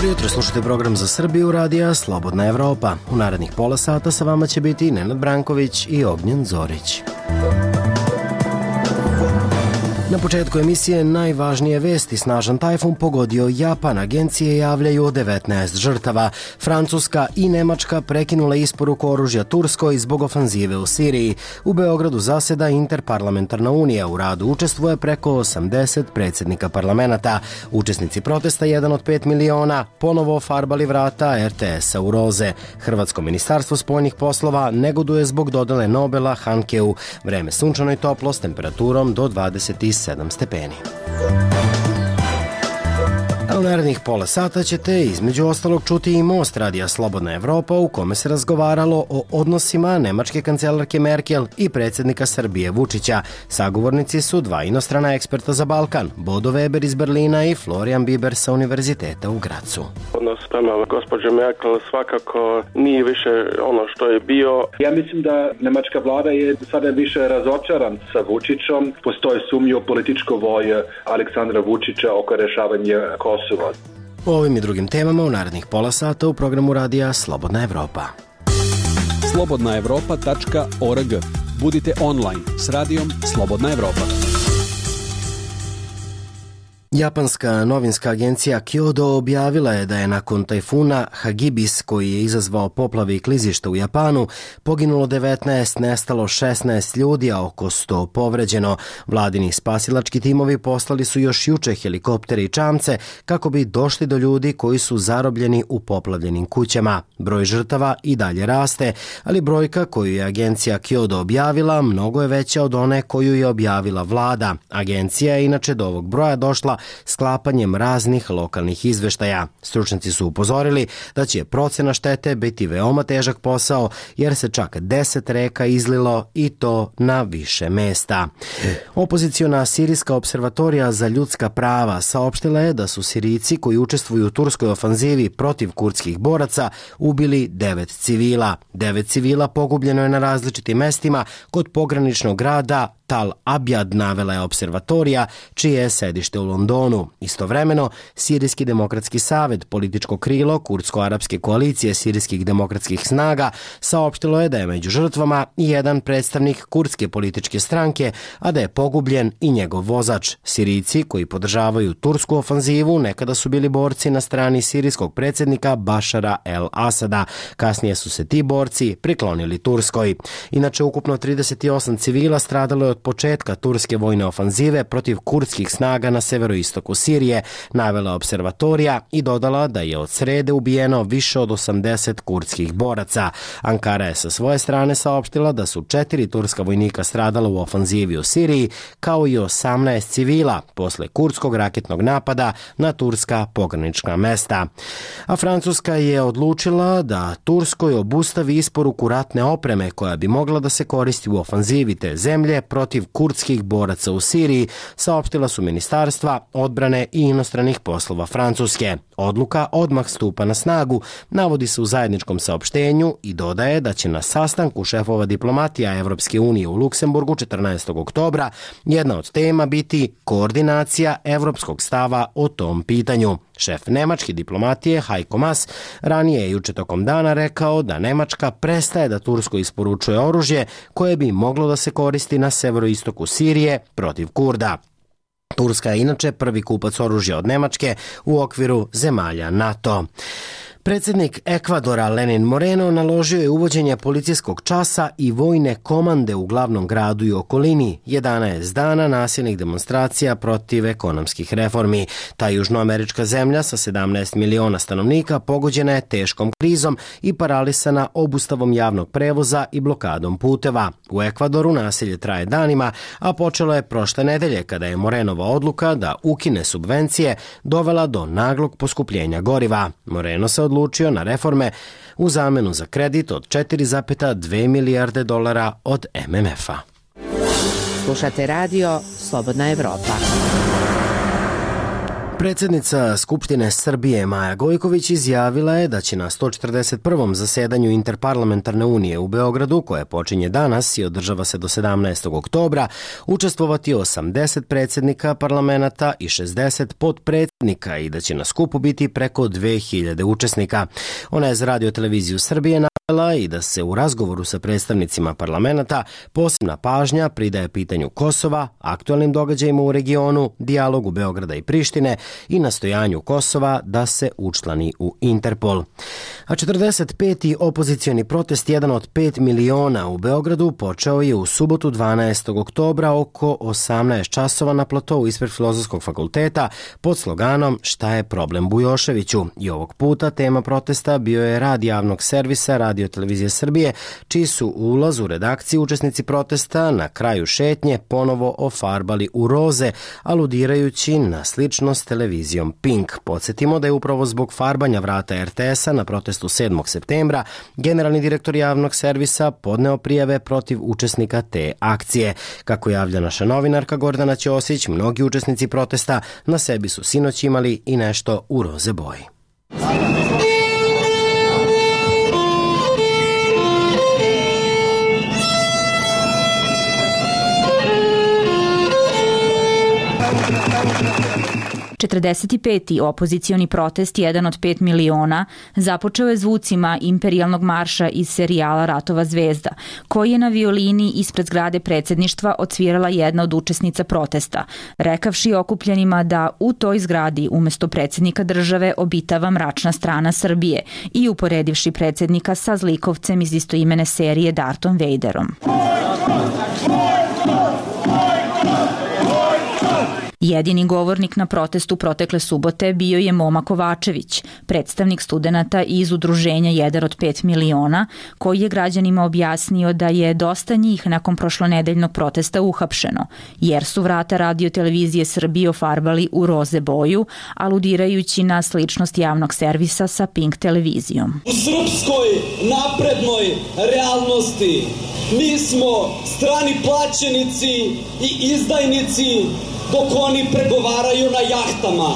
Dobro jutro, slušajte program za Srbiju radija Slobodna Evropa. U narednih pola sata sa vama će biti Nenad Branković i Ognjen Zorić. Na početku emisije najvažnije vesti: snažan tajfun pogodio Japan, agencije javljaju 19 žrtava. Francuska i Nemačka prekinule isporuku oružja Turskoj zbog ofanzive u Siriji. U Beogradu zaseda Interparlamentarna unija, u radu učestvuje preko 80 predsjednika parlamenta. Učesnici protesta, 1 od 5 miliona, ponovo farbali vrata RTS-a u roze. Hrvatsko ministarstvo spoljnih poslova negoduje zbog dodele Nobela Hankeu. Vreme sunčano i toplo s temperaturom do 27 stepeni. A u narednih pola sata ćete između ostalog čuti i Most radija Slobodna Evropa, u kome se razgovaralo o odnosima nemačke kancelarke Merkel i predsjednika Srbije Vučića. Sagovornici su dva inostrana eksperta za Balkan, Bodo Weber iz Berlina i Florian Biber sa Univerziteta u Gracu. Odnos prema gospođe Merkel svakako nije više ono što je bio. Ja mislim da nemačka vlada je sada više razočaran sa Vučićom. Postoji sumnja u političku volju Aleksandra Vučića oko rješavanja Kosova. O ovim i drugim temama u narednih pola sata u programu radija Slobodna Evropa. slobodnaevropa.org. Budite online s radijom Slobodna Evropa. Japanska novinska agencija Kyodo objavila je da je nakon tajfuna Hagibis, koji je izazvao poplave i klizišta u Japanu, poginulo 19, nestalo 16 ljudi, a oko 100 povređeno. Vladini spasilački timovi poslali su još juče helikoptere i čamce kako bi došli do ljudi koji su zarobljeni u poplavljenim kućama. Broj žrtava i dalje raste, ali brojka koju je agencija Kyodo objavila mnogo je veća od one koju je objavila vlada. Agencija je inače do ovog broja došla sklapanjem raznih lokalnih izveštaja. Stručnjaci su upozorili da će procena štete biti veoma težak posao, jer se čak 10 reka izlilo i to na više mesta. Opoziciona Sirijska observatorija za ljudska prava saopštila je da su Sirijci koji učestvuju u turskoj ofanzivi protiv kurdskih boraca ubili 9 civila. 9 civila pogubljeno je na različitim mestima kod pograničnog grada Tal Abjad, navela je observatorija, čije je sedište u Londonu. Istovremeno, Sirijski demokratski savez, političko krilo kurdsko-arapske koalicije sirijskih demokratskih snaga, saopštilo je da je među žrtvama i jedan predstavnik kurdske političke stranke, a da je pogubljen i njegov vozač. Sirijci koji podržavaju tursku ofanzivu nekada su bili borci na strani sirijskog predsjednika Bašara el-Asada. Kasnije su se ti borci priklonili Turskoj. Inače, ukupno 38 civila stradalo je od početka turske vojne ofanzive protiv kurdskih snaga na severoistoku Sirije, navela observatorija i dodala da je od srede ubijeno više od 80 kurdskih boraca. Ankara je sa svoje strane saopštila da su 4 turska vojnika stradala u ofanzivi u Siriji, kao i 18 civila posle kurdskog raketnog napada na turska pogranična mesta. A Francuska je odlučila da Turskoj obustavi isporuku ratne opreme koja bi mogla da se koristi u ofanzivi te zemlje protiv kurdskih boraca u Siriji, saopštila su ministarstva odbrane i inostranih poslova Francuske. Odluka odmah stupa na snagu, navodi se u zajedničkom saopštenju i dodaje da će na sastanku šefova diplomatija Evropske unije u Luksemburgu 14. oktobra jedna od tema biti koordinacija evropskog stava o tom pitanju. Šef nemačke diplomatije Heiko Maas ranije je juče tokom dana rekao da Nemačka prestaje da Turskoj isporučuje oružje koje bi moglo da se koristi na severoistoku Sirije protiv Kurda. Turska je inače prvi kupac oružja od Nemačke u okviru zemalja NATO. Predsjednik Ekvadora Lenin Moreno naložio je uvođenje policijskog časa i vojne komande u glavnom gradu i okolini. 11 dana nasilnih demonstracija protiv ekonomskih reformi. Ta južnoamerička zemlja sa 17 miliona stanovnika pogođena je teškom krizom i paralisana obustavom javnog prevoza i blokadom puteva. U Ekvadoru nasilje traje danima, a počelo je prošle nedelje kada je Morenova odluka da ukine subvencije dovela do naglog poskupljenja goriva. Moreno se odlučio na reforme u zamenu za kredit od 4,2 milijarde dolara od MMF-a. Slušate radio Slobodna Evropa. Predsjednica Skupštine Srbije Maja Gojković izjavila je da će na 141. zasedanju Interparlamentarne unije u Beogradu, koje počinje danas i održava se do 17. oktobra, učestvovati 80 predsjednika parlamenta i 60 potpredsjednika i da će na skupu biti preko 2000 učesnika. Ona je za Radio-televiziju Srbije navela i da se u razgovoru sa predstavnicima parlamenta posebna pažnja pridaje pitanju Kosova, aktualnim događajima u regionu, dijalogu Beograda i Prištine i nastojanju Kosova da se učlani u Interpol. A 45. opozicioni protest, jedan od 5 miliona u Beogradu, počeo je u subotu 12. oktobra oko 18 časova na platou ispred Filozofskog fakulteta pod sloganom "Šta je problem Bujoševiću?" I ovog puta tema protesta bio je rad javnog servisa Radio-televizije Srbije, čiji su ulaz u redakciju učesnici protesta na kraju šetnje ponovo ofarbali u roze, aludirajući na sličnost televizijom Pink. Podsjetimo da je upravo zbog farbanja vrata RTS-a na protestu 7. septembra generalni direktor javnog servisa podneo prijave protiv učesnika te akcije. Kako javlja naša novinarka Gordana Ćosić, mnogi učesnici protesta na sebi su sinoć imali i nešto u roze boji. 45. opozicioni protest, jedan od 5 miliona, započeo je zvucima imperijalnog marša iz serijala Ratova zvezda, koji je na violini ispred zgrade predsjedništva odsvirala jedna od učesnica protesta, rekavši okupljenima da u toj zgradi umesto predsjednika države obitava mračna strana Srbije i uporedivši predsjednika sa zlikovcem iz istoimene serije Dartom Vaderom. Jedini govornik na protestu protekle subote bio je Moma Kovačević, predstavnik studenata iz udruženja Jedan od 5 miliona, koji je građanima objasnio da je dosta njih nakon prošlonedeljnog protesta uhapšeno, jer su vrata Radio-televizije Srbije ofarbali u roze boju, aludirajući na sličnost javnog servisa sa Pink televizijom. U srpskoj naprednoj realnosti mi smo strani plaćenici i izdajnici dok oni pregovaraju na jahtama.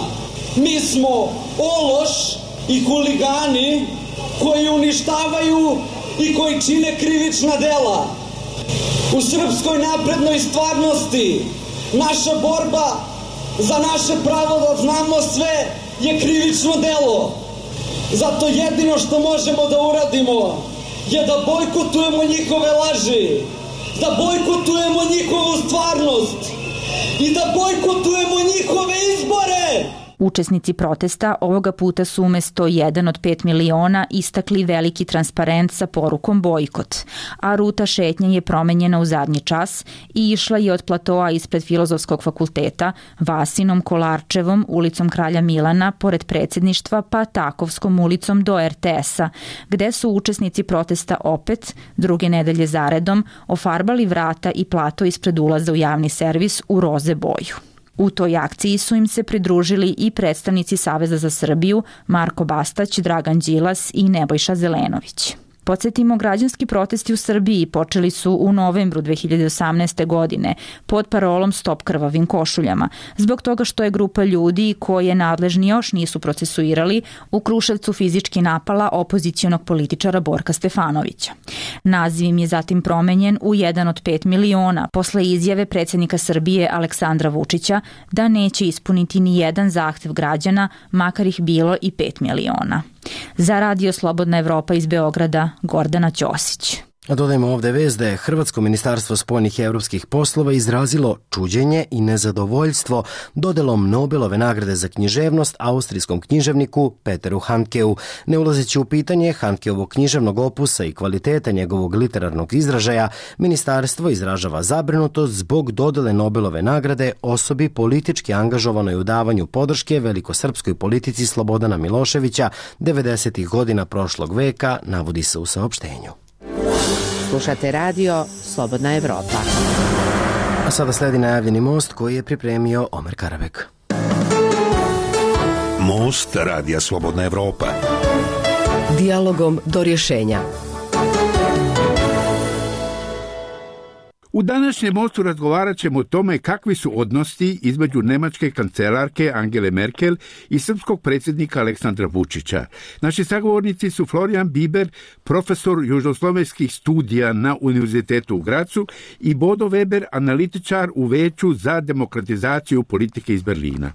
Mi smo ološ i huligani koji uništavaju i koji čine krivična dela. U srpskoj naprednoj stvarnosti naša borba za naše pravo da znamo sve je krivično delo. Zato jedino što možemo da uradimo je da bojkotujemo njihove laži, da bojkotujemo njihovu stvarnost i da bojkotujemo njihove izbore. Učesnici protesta ovoga puta su umesto jedan od 5 miliona istakli veliki transparent sa porukom bojkot, a ruta šetnje je promenjena u zadnji čas i išla je od platoa ispred Filozofskog fakulteta, Vasinom, Kolarčevom, ulicom Kralja Milana, pored predsjedništva, pa Takovskom ulicom do RTS-a, gde su učesnici protesta opet, druge nedelje zaredom, ofarbali vrata i plato ispred ulaza u javni servis u roze boju. U toj akciji su im se pridružili i predstavnici Saveza za Srbiju, Marko Bastać, Dragan Đilas i Nebojša Zelenović. Podsjetimo, građanski protesti u Srbiji počeli su u novembru 2018. godine pod parolom Stop krvavim košuljama, zbog toga što je grupa ljudi koje nadležni još nisu procesuirali u Kruševcu fizički napala opozicionog političara Borka Stefanovića. Naziv im je zatim promenjen u jedan od 5 miliona posle izjave predsjednika Srbije Aleksandra Vučića da neće ispuniti ni jedan zahtev građana, makar ih bilo i 5 miliona. Za Radio Slobodna Evropa iz Beograda, Gordana Ćosić. A dodajmo ovde vest da je Hrvatsko ministarstvo spoljnih i evropskih poslova izrazilo čuđenje i nezadovoljstvo dodelom Nobelove nagrade za književnost austrijskom književniku Peteru Handkeu. Ne ulazeći u pitanje Handkeovog književnog opusa i kvaliteta njegovog literarnog izražaja, ministarstvo izražava zabrinutost zbog dodele Nobelove nagrade osobi politički angažovanoj u davanju podrške velikosrpskoj politici Slobodana Miloševića 90. godina prošlog veka, navodi se u saopštenju. Slušate radio Slobodna Evropa. A sada sledi najavljeni most koji je pripremio Omer Karabek. Most radija Slobodna Evropa. Dijalogom do rješenja. U današnjem mostu razgovarat ćemo o tome kakvi su odnosi između nemačke kancelarke Angele Merkel i srpskog predsjednika Aleksandra Vučića. Naši sagovornici su Florian Biber, profesor južnoslovenskih studija na Univerzitetu u Gracu, i Bodo Weber, analitičar u Veću za demokratizaciju politike iz Berlina.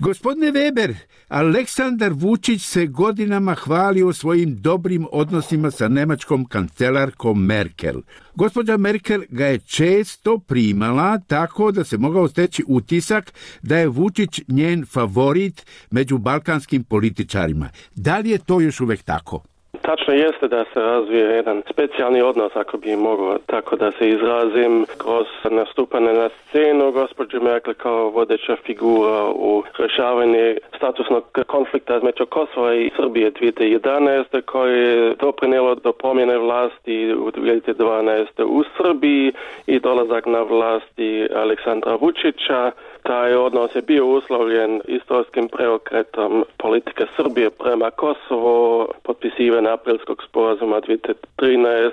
Gospodine Weber, Aleksandar Vučić se godinama hvalio svojim dobrim odnosima sa nemačkom kancelarkom Merkel. Gospođa Merkel ga je često primala tako da se mogao steći utisak da je Vučić njen favorit među balkanskim političarima. Da li je to još uvijek tako? Tačno jeste da se razvije jedan specijalni odnos, ako bi mogao tako da se izrazim, kroz nastupanje na scenu gospođe Merkel kao vodeća figura u rješavanju statusnog konflikta između Kosova i Srbije 2011. koje je doprinijelo do promjene vlasti u 2012. u Srbiji i dolazak na vlasti Aleksandra Vučića. Taj odnos je bio uslovljen istorijskim preokretom politike Srbije prema Kosovu, potpisivanje aprilskog sporazuma 2013.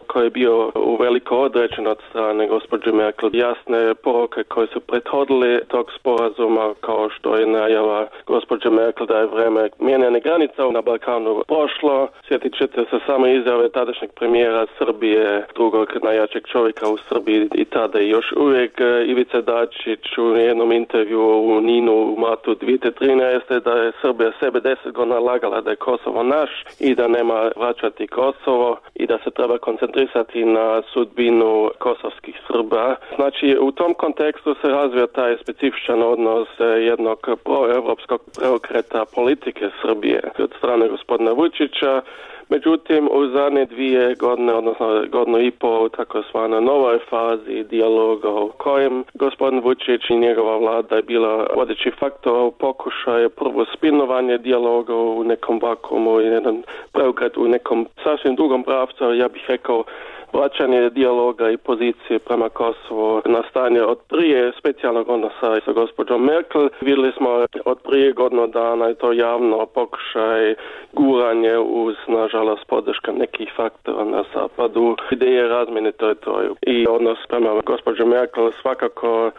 koji je bio uveliko određen od strane gospođe Merkel. Jasne poruke koje su prethodile tog sporazuma, kao što je najava gospođe Merkel da je vreme mijenjanja granica na Balkanu prošlo. Sjetit ćete se samo izjave tadašnjeg premijera Srbije, drugog najjačeg čovjeka u Srbiji i tada i još uvijek Ivica Dačić u jednom intervju u Ninu u martu 2013. da je Srbija sebe 10 godina lagala da je Kosovo naš i da nema vraćati Kosovo i da se treba koncentrisati na sudbinu kosovskih Srba. Znači, u tom kontekstu se razvija taj specifičan odnos jednog proevropskog preokreta politike Srbije od strane gospodina Vučića. Međutim, u zadnje 2 godine, odnosno godinu i pol, tako zvana novoj fazi dijaloga u kojem gospodin Vučić i njegova vlada je bila vodeći faktor u pokušaju prvo spinovanje dijaloga u nekom vakuumu i jedan preokret u nekom sasvim drugom pravcu, ja bih rekao vraćanje dijaloga i pozicije prema Kosovu na stanje od prije specijalnog odnosa sa gospođom Merkel. Vidjeli smo od prije godinu dana i to javno pokušaj guranje uz, nažalost, podrška nekih faktora na zapadu, ideje razmjene teritoriju. I odnos prema gospođo Merkel svakako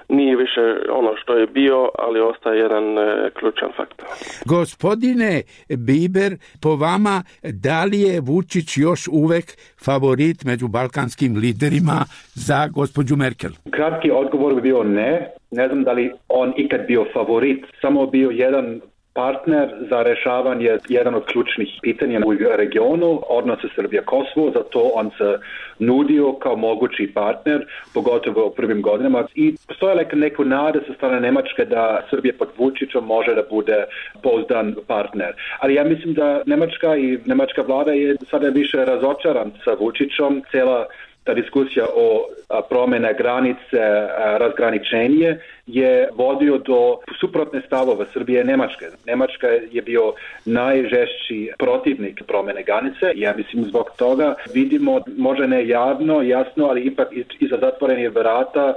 nije više ono što je bio, ali ostaje jedan ključan faktor. Gospodine Biber, po vama, da li je Vučić još uvek favorit među balkanskim liderima za gospođu Merkel? Kratki odgovor bi bio ne. Ne znam da li on ikad bio favorit. Samo bio jedan partner za rješavanje jedan od ključnih pitanja u regionu, odnose Srbija-Kosovo, zato on se nudio kao mogući partner, pogotovo u prvim godinama. I postoje neku nade sa strane Njemačke da Srbija pod Vučićom može da bude pouzdan partner. Ali ja mislim da Njemačka i njemačka vlada je sada više razočaran sa Vučićom. Cijela ta diskusija o promjene granice, razgraničenje je vodio do suprotne stavove Srbije i Njemačke. Njemačka je bio najžešći protivnik promjene granice. Ja mislim zbog toga vidimo, možda ne javno, jasno, ali ipak iza zatvorenih vrata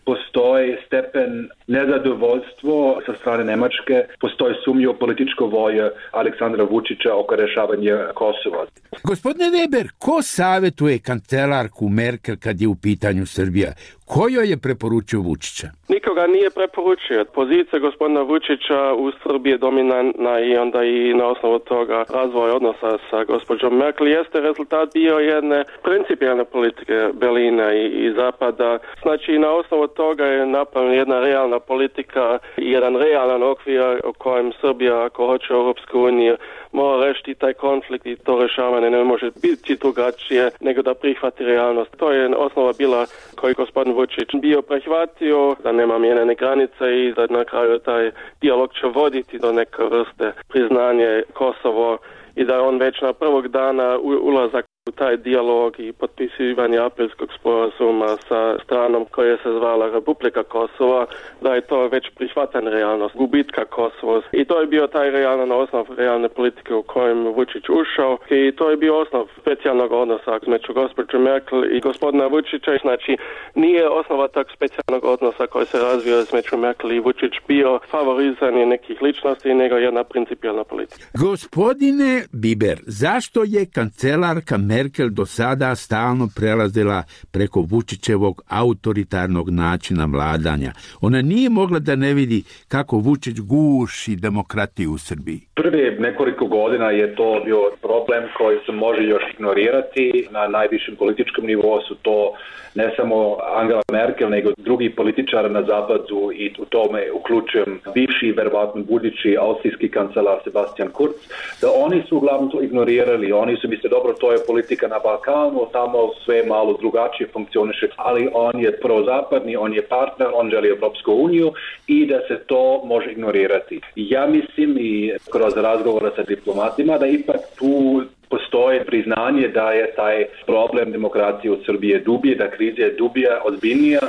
postoji stepen nezadovoljstvo sa strane Njemačke, postoji sumnja u političku volju Aleksandra Vučića oko rješavanja Kosova. Gospodine Weber, ko savjetuje kancelarku Merkel kad je u pitanju Srbija? Ko joj je preporučio Vučića? Nikoga nije preporučio. Pozicija gospodina Vučića u Srbiji je dominantna i onda i na osnovu toga razvoj odnosa sa gospođom Merkel jeste rezultat bio jedne principijalne politike Berlina i Zapada. Znači, na osnovu toga je napravljena jedna realna politika i jedan realan okvir u kojem Srbija, ako hoće Europsku uniju, mora rešiti taj konflikt i to rješavanje ne može biti drugačije nego da prihvati realnost. To je osnova bila koju gospodin Vučić bio prihvatio, da nema mijenjane granice i da na kraju taj dijalog će voditi do neke vrste priznanje Kosovo i da on već na prvog dana ulazak u taj dijalog i potpisivanje aprilskog sporazuma sa stranom koja se zvala Republika Kosova, da je to već prihvatana realnost gubitka Kosova. I to je bio taj realan osnov realne politike u kojem Vučić ušao i to je bio osnov specijalnog odnosa između gospođe Merkel i gospodina Vučića. Znači, nije osnova tog specijalnog odnosa koji se razvio između Merkel i Vučić bio favorizanje nekih ličnosti, nego jedna principijalna politika. Gospodine Biber, zašto je kancelarka Merkel do sada stalno prelazila preko Vučićevog autoritarnog načina vladanja. Ona nije mogla da ne vidi kako Vučić guši demokratiju u Srbiji. Prvi nekoliko godina je to bio problem koji se može još ignorirati. Na najvišem političkom nivou su to ne samo Angela Merkel, nego drugi političari na zapadu i u tome uključujem bivši, verovatno budući austrijski kancelar Sebastian Kurz, da oni su uglavnom to ignorirali. Oni su mislili, dobro, to je politika na Balkanu, tamo sve malo drugačije funkcioniše, ali on je prozapadni, on je partner, on želi Evropsku uniju i da se to može ignorirati. Ja mislim i kroz razgovore sa diplomatima da ipak tu postoje priznanje da je taj problem demokracije u Srbiji dublji, da kriza je dublja, ozbiljnija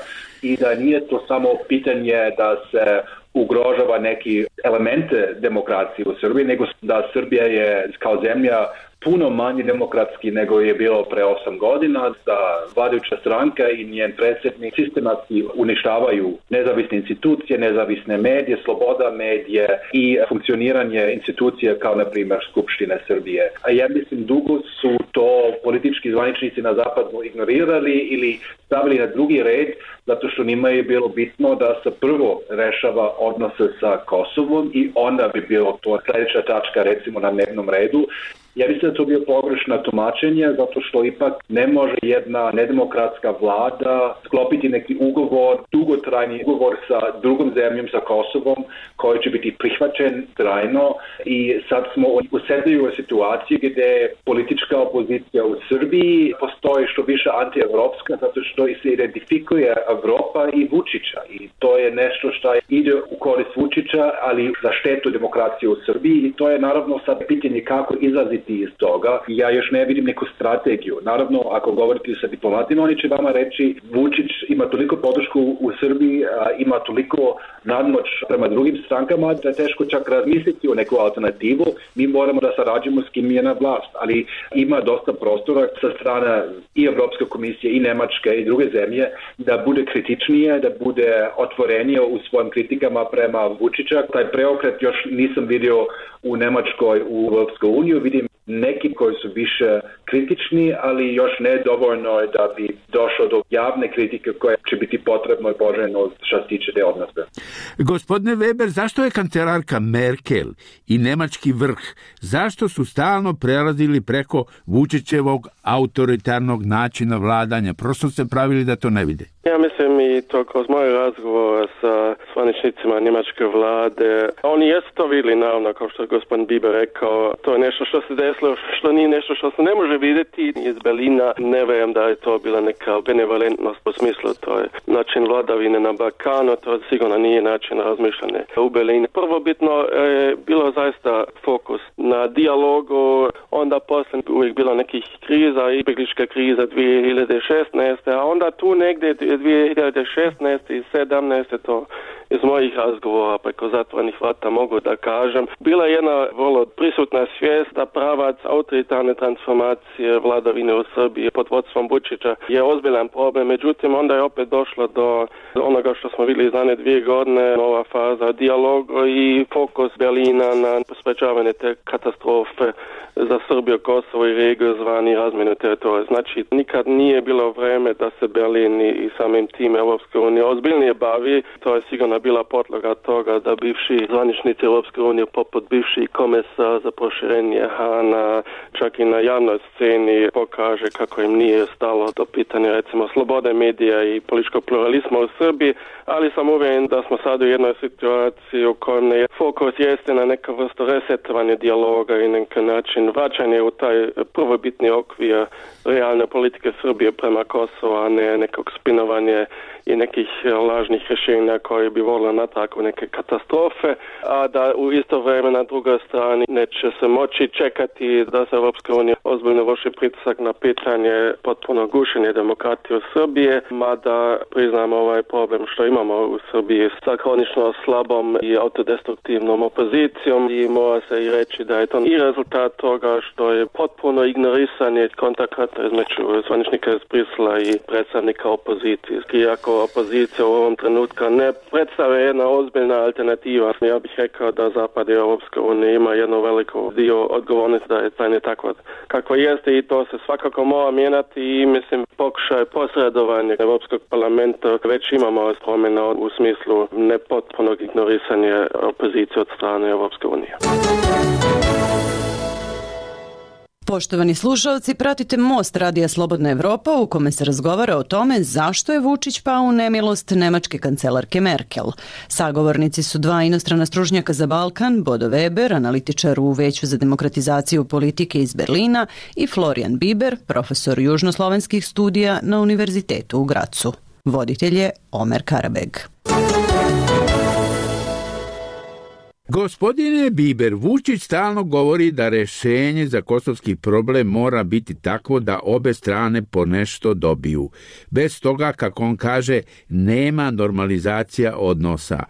i da nije to samo pitanje da se ugrožava neki elemente demokracije u Srbiji, nego da Srbija je kao zemlja puno manje demokratski nego je bilo pre 8 godina, da vladajuća stranka i njen predsjednik sistematski uništavaju nezavisne institucije, nezavisne medije, sloboda medije i funkcioniranje institucija kao na primjer Skupštine Srbije. A ja mislim dugo su to politički zvaničnici na zapadu ignorirali ili stavili na drugi red, zato što njima je bilo bitno da se prvo rešava odnose sa Kosovom i onda bi bilo to sljedeća tačka recimo na dnevnom redu. Ja mislim da to bio pogrešno tumačenje, zato što ipak ne može jedna nedemokratska vlada sklopiti neki ugovor, dugotrajni ugovor sa drugom zemljom, sa Kosovom, koji će biti prihvaćen trajno i sad smo u osjetljivoj situaciji gdje politička opozicija u Srbiji postoji što više antievropska, zato što se identifikuje Evropa i Vučića i to je nešto što ide u korist Vučića, ali za štetu demokracije u Srbiji i to je naravno sad pitanje kako izlaziti iz toga. Ja još ne vidim neku strategiju. Naravno, ako govorite sa diplomatima, oni će vama reći Vučić ima toliko podršku u Srbiji, ima toliko nadmoć prema drugim strankama da je teško čak razmisliti o neku alternativu. Mi moramo da sarađujemo s kim je na vlast, ali ima dosta prostora sa strane i Evropske komisije i Nemačke i druge zemlje da bude kritičnije, da bude otvorenije u svojim kritikama prema Vučića. Taj preokret još nisam vidio u Nemačkoj, u Evropskoj uniji, vidim neki koji su više kritični, ali još ne dovoljno da bi došlo do javne kritike koja će biti potrebno i poželjno što se tiče te odnose. Gospodine Weber, zašto je kancelarka Merkel i nemački vrh, zašto su stalno prelazili preko Vučićevog autoritarnog načina vladanja? Prosto se pravili da to ne vide. Ja mislim i to kroz moj razgovor sa zvaničnicima njemačke vlade. Oni jesu to vidjeli, naravno, kao što je gospodin Bieber rekao, to je nešto što se desilo, što nije nešto što se ne može vidjeti iz Berlina. Ne vjerujem da je to bila neka benevolentnost u smislu, to je način vladavine na Balkanu, to sigurno nije način razmišljanja u Berlinu. Prvobitno je bilo zaista fokus na dijalogu, onda poslije uvijek bilo nekih kriza, izbjeglička kriza 2016, a onda tu negdje 2016 i 2017, to iz mojih razgovora preko zatvorenih vrata mogu da kažem, bila je jedna vrlo prisutna svijest da pravac autoritarne transformacije vladavine u Srbiji pod vodstvom Vučića je ozbiljan problem. Međutim, onda je opet došlo do onoga što smo vidjeli zadnje 2 godine, nova faza dijaloga i fokus Berlina na sprečavanje te katastrofe za Srbiju, Kosovo i regiju zvani razmjenu teritorija. Znači, nikad nije bilo vreme da se Berlin i samim tim Europske unije ozbiljnije bavi. To je sigurno bila podloga toga da bivši zvaničnici Europske unije poput bivši komesar za proširenje Hana čak i na javnoj sceni pokaže kako im nije stalo do pitanja recimo slobode medija i političkog pluralizma u Srbiji, ali sam uvjeren da smo sad u jednoj situaciji u kojem je fokus jeste na neka vrstu resetovanja dijaloga i neki način vraćanje u taj prvobitni okvir realne politike Srbije prema Kosovu, a ne nekog spinovanja i nekih lažnih rješenja koji bi volili natrag u neke katastrofe, a da u isto vrijeme na drugoj strani neće se moći čekati da se Europska unija ozbiljno vrši pritisak na pitanje potpuno gušenje demokratije u Srbije, mada priznamo ovaj problem što imamo u Srbiji sa kronično slabom i autodestruktivnom opozicijom i mora se i reći da je to i rezultat toga što je potpuno ignorisanje kontakata između zvaničnika iz Brisela i predstavnika opozicije. Iako opozicija u ovom trenutku ne predstavlja jedna ozbiljna alternativa. Ja bih rekao da Zapad i Europska unija ima jednu veliku dio odgovornosti da je stanje tako kako jeste i to se svakako mora mijenjati i mislim pokušaj posredovanja Europskog parlamenta već imamo promjena u smislu nepotpunog ignorisanja opozicije od strane Europske unije. Poštovani slušalci, pratite Most Radija Slobodna Evropa u kome se razgovara o tome zašto je Vučić pao u nemilost nemačke kancelarke Merkel. Sagovornici su dva inostrana stručnjaka za Balkan, Bodo Weber, analitičar u Veću za demokratizaciju politike iz Berlina i Florian Biber, profesor južnoslovenskih studija na Univerzitetu u Gracu. Voditelj je Omer Karabeg. Gospodine Biber, Vučić stalno govori da rešenje za kosovski problem mora biti takvo da obe strane po nešto dobiju. Bez toga, kako on kaže, nema normalizacija odnosa.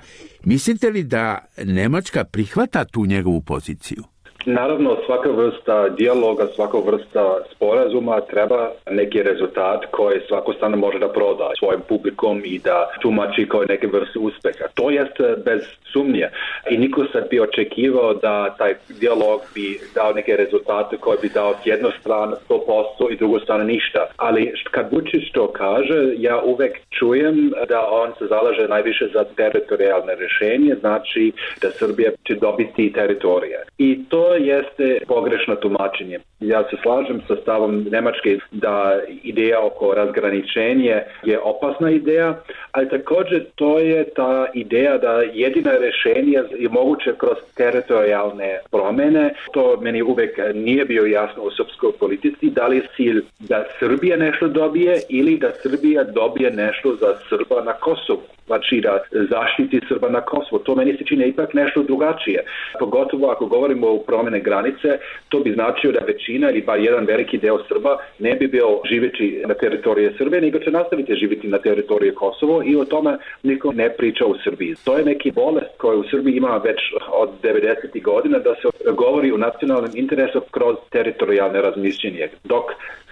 Mislite li da Nemačka prihvata tu njegovu poziciju? Naravno, svaka vrsta dijaloga, svaka vrsta sporazuma treba neki rezultat koji svako strana može da proda svojim publikom i da tumači kao neke vrste uspeha. To jest bez sumnje. I niko sad bi očekivao da taj dijalog bi dao neke rezultate koje bi dao s jednu stranu 100% i drugu stranu ništa. Ali kad Vučić to kaže, ja uvek čujem da on se zalaže najviše za teritorijalne rješenje, znači da Srbija će dobiti teritorije. I to jeste pogrešno tumačenje. Ja se slažem sa stavom Nemačke da ideja oko razgraničenja je opasna ideja, ali također to je ta ideja da jedina rješenje je moguće kroz teritorijalne promjene. To meni uvek nije bio jasno u srpskoj politici, da li je cilj da Srbija nešto dobije ili da Srbija dobije nešto za Srba na Kosovu. Znači da zaštiti Srba na Kosovu. To meni se čini ipak nešto drugačije. Pogotovo ako govorimo o promjene granice, to bi značio da većina ili bar jedan veliki deo Srba ne bi bio živeći na teritoriji Srbije, nego će nastaviti živjeti na teritoriji Kosovo i o tome niko ne priča u Srbiji. To je neki bolest koji u Srbiji ima već od 90. godina da se govori o nacionalnom interesu kroz teritorijalne razmišljenje. Dok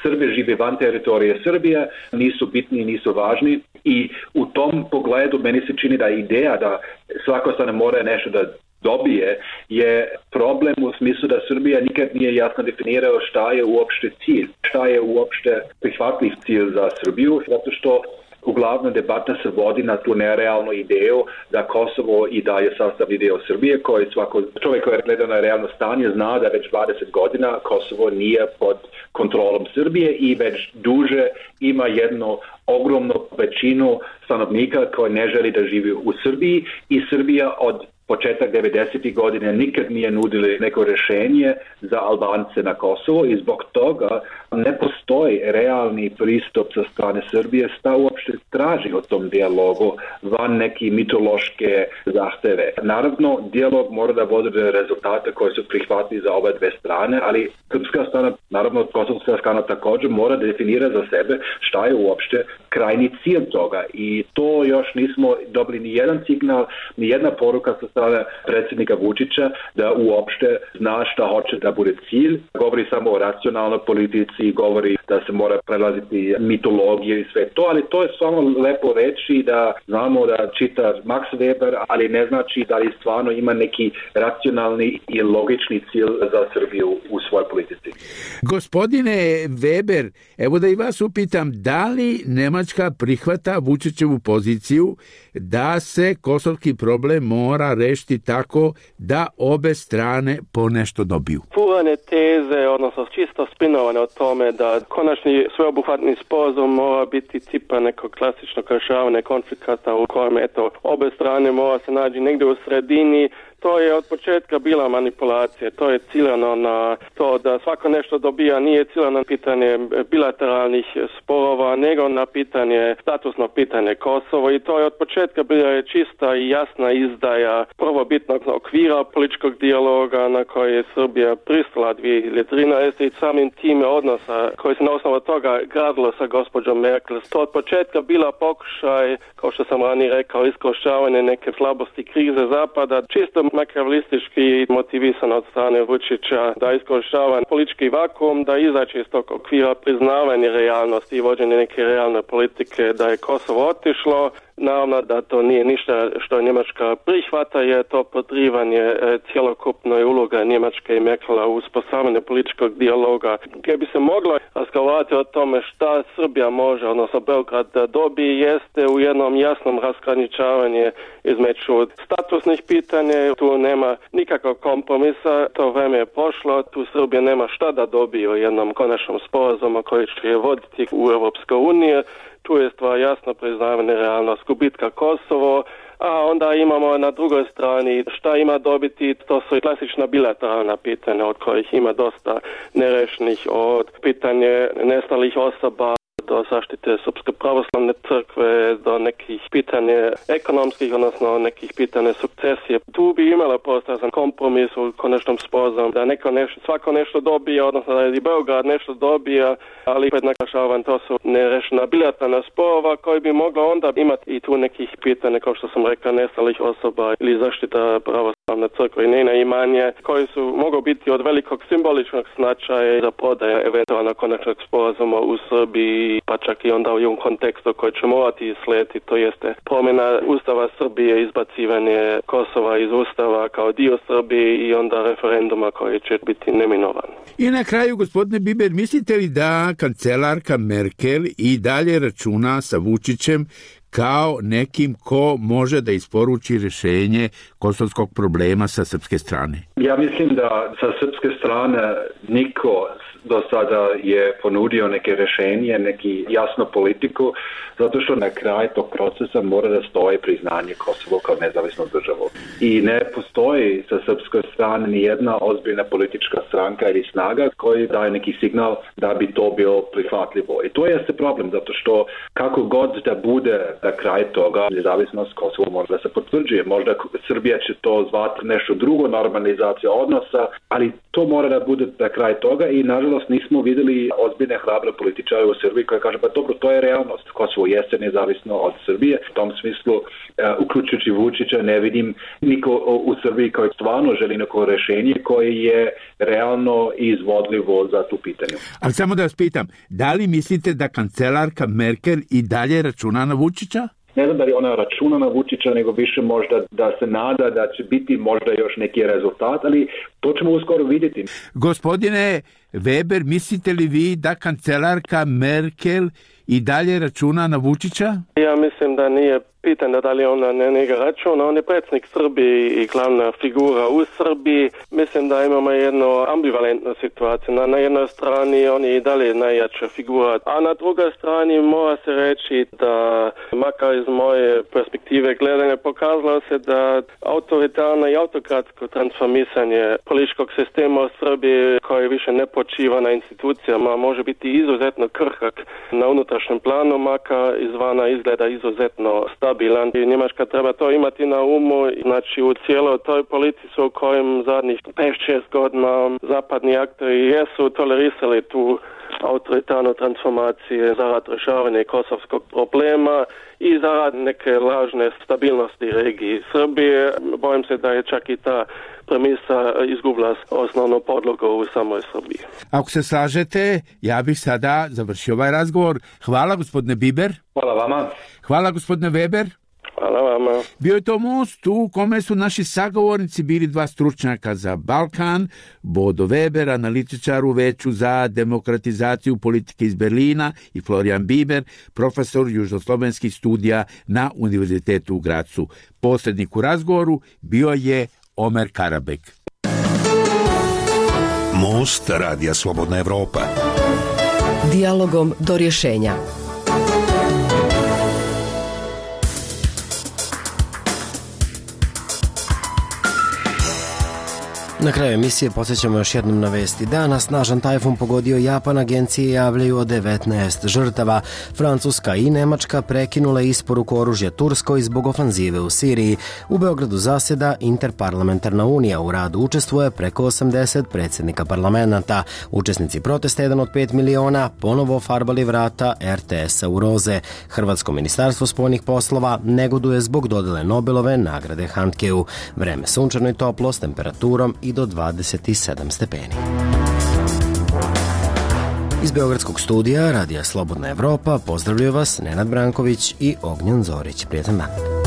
Srbi žive van teritorije Srbije, nisu bitni, nisu važni i u tom pogledu meni se čini da ideja da svako strana mora nešto da dobije je problem u smislu da Srbija nikad nije jasno definirao šta je uopšte cilj, šta je uopšte prihvatljiv cilj za Srbiju, zato što uglavnom debata se vodi na tu nerealnu ideju da Kosovo i dalje sastavni dio Srbije, koji svako čovjek koji gleda na realno stanje zna da već 20 godina Kosovo nije pod kontrolom Srbije i već duže ima jednu ogromnu većinu stanovnika koji ne želi da živi u Srbiji i Srbija od početak 90. godine nikad nije nudili neko rješenje za Albance na Kosovo i zbog toga ne postoji realni pristup sa strane Srbije šta uopšte traži o tom dijalogu van neki mitološke zahteve. Naravno, dijalog mora da vodi rezultate koji su prihvatni za oba dve strane, ali srpska strana, naravno kosovska strana također mora da definira za sebe šta je uopšte krajni cilj toga i to još nismo dobili ni jedan signal, ni jedna poruka sa strane predsjednika Vučića da uopšte zna šta hoće da bude cilj. Govori samo o racionalnoj politici, govori da se mora prelaziti mitologiju i sve to, ali to je samo lepo reći da znamo da čita Max Weber, ali ne znači da li stvarno ima neki racionalni i logični cilj za Srbiju u svojoj politici. Gospodine Weber, evo da i vas upitam, da li Nemačka prihvata Vučićevu poziciju da se kosovski problem mora rešiti tako da obe strane po nešto dobiju? Purane teze, odnosno čisto spinovane o tome da konačni sveobuhvatni sporazum mora biti tipa nekog klasičnog rješavanja konflikata u kojem obe strane mora se naći negdje u sredini. To je od početka bila manipulacija, to je ciljano na to da svako nešto dobija, nije ciljano na pitanje bilateralnih sporova, nego na statusno pitanje Kosovo i to je od početka bila čista i jasna izdaja prvobitnog okvira političkog dijaloga na koji je Srbija pristala 2013 i samim time odnosa koji se na osnovu toga gradilo sa gospođom Merkel. To od početka bila pokušaj, kao što sam ranije rekao, iskorištavanje neke slabosti krize Zapada, čisto makavelistički motivisan od strane Vučića da iskorištava politički vakuum, da izaći iz tog okvira priznavanja realnosti i vođenja neke realne politike, da je Kosovo otišlo. Naravno da to nije ništa što Njemačka prihvata, je to podrivanje cjelokupnoj uloga Njemačke i Merkela u uspostavljanju političkog dijaloga, gdje bi se moglo razgovarati o tome šta Srbija može, odnosno Beograd da dobije, jeste u jednom jasnom razgraničavanju između statusnih pitanja. Tu nema nikakvog kompromisa, to vreme je prošlo, tu Srbija nema šta da dobije u jednom konačnom sporazumu koji će je voditi u Europskoj uniji. Tu je stvar jasno priznavanje realnost gubitka Kosovo, a onda imamo na drugoj strani šta ima dobiti, to su klasična bilateralna pitanja od kojih ima dosta nerešenih, od pitanje nestalih osoba do zaštite Srpske pravoslavne crkve, do nekih pitanja ekonomskih, odnosno nekih pitanja sukcesije. Tu bi imala postao kompromis u konačnom sporazumu da svako nešto dobije, odnosno da je i Beograd nešto dobija, ali opet naglašavam, to su nerešena bilateralna sporova koji bi mogla onda imati i tu nekih pitanja, kao što sam rekao, nestalih osoba ili zaštita pravoslavne crkve i njena imanja, koji su mogu biti od velikog simboličnog značaja za prodaje eventualno konačnog sporazuma u Srbiji, pa čak i onda u jednom kontekstu koji će morati slijediti, to jeste promjena Ustava Srbije, izbacivanje Kosova iz Ustava kao dio Srbije i onda referenduma koji će biti neminovan. I na kraju, gospodine Biber, mislite li da kancelarka Merkel i dalje računa sa Vučićem kao nekim ko može da isporuči rješenje kosovskog problema sa srpske strane? Ja mislim da sa srpske strane niko do sada je ponudio neke rješenje, neki jasnu politiku, zato što na kraj tog procesa mora da stoji priznanje Kosovo kao nezavisnu državu. I ne postoji sa srpske strane ni jedna ozbiljna politička stranka ili snaga koji daje neki signal da bi to bilo prihvatljivo. I to jeste problem, zato što kako god da bude na kraj toga, nezavisnost Kosovo može da se potvrđuje. Možda Srbija će to zvati nešto drugo, normalizacija odnosa, ali to mora da bude na kraj toga i nažalost nismo vidjeli ozbiljne hrabre političare u Srbiji koji kaže, pa dobro, to je realnost. Kosovo jeste nezavisno od Srbije. U tom smislu, uključujući Vučića, ne vidim niko u Srbiji koji stvarno želi neko rješenje koje je realno i izvodljivo za tu pitanje. Ali samo da vas pitam, da li mislite da kancelarka Merkel i dalje računa na Vučića? Ne znam da li ona računa na Vučića, nego više možda da se nada da će biti možda još neki rezultat, ali to ćemo uskoro vidjeti. Gospodine Weber, mislite li vi da kancelarka Merkel i dalje računa na Vučića? Ja mislim da nije pitanje da li ona ne njega računa. On je predsjednik Srbije i glavna figura u Srbiji. Mislim da imamo jednu ambivalentnu situaciju. Na jednoj strani on je i dalje najjača figura, a na drugoj strani mora se reći da, makar iz moje perspektive gledanja, pokazalo se da autoritarno i autokratsko transformisanje političkog sistema u Srbiji, koji više ne počiva na institucijama, može biti izuzetno krhak na unutrašnjem planu, makar izvana izgleda izuzetno stabilan. I Njemačka treba to imati na umu, znači u cijeloj toj politici u kojem zadnjih 5-6 godina zapadni aktori jesu tolerisali tu autoritarnu transformaciju zarad rješavanja kosovskog problema i zarad neke lažne stabilnosti regiji Srbije. Bojim se da je čak i ta premisa izgubila osnovnu podlogu u samoj Srbiji. Ako se slažete, ja bih sada završio ovaj razgovor. Hvala, gospodine Biber. Hvala vama. Hvala, gospodine Weber. Hvala vama. Bio je to Most u kome su naši sagovornici bili dva stručnjaka za Balkan, Bodo Weber, analitičar u Veću za demokratizaciju politike iz Berlina, i Florijan Biber, profesor južnoslovenskih studija na Univerzitetu u Gracu. Posrednik u razgovoru bio je Omer Karabek. Most Radija Slobodna Evropa. Dijalogom do rješenja. Na kraju emisije podsjećamo još jednom na vesti dana. Snažan tajfun pogodio Japan, agencije javljaju o 19 žrtava. Francuska i Nemačka prekinule isporuku oružja Turskoj zbog ofanzive u Siriji. U Beogradu zaseda Interparlamentarna unija. U radu učestvuje preko 80 predsjednika parlamenta. Učesnici protesta 1 od 5 miliona ponovo farbali vrata RTS-a u roze. Hrvatsko ministarstvo spoljnih poslova negoduje zbog dodele Nobelove nagrade Handkeu. Vreme sunčano i toplo s temperaturom i do 27 stepeni. Iz Beogradskog studija Radija Slobodna Evropa pozdravljaju vas Nenad Branković i Ognjen Zorić. Prijetan dan.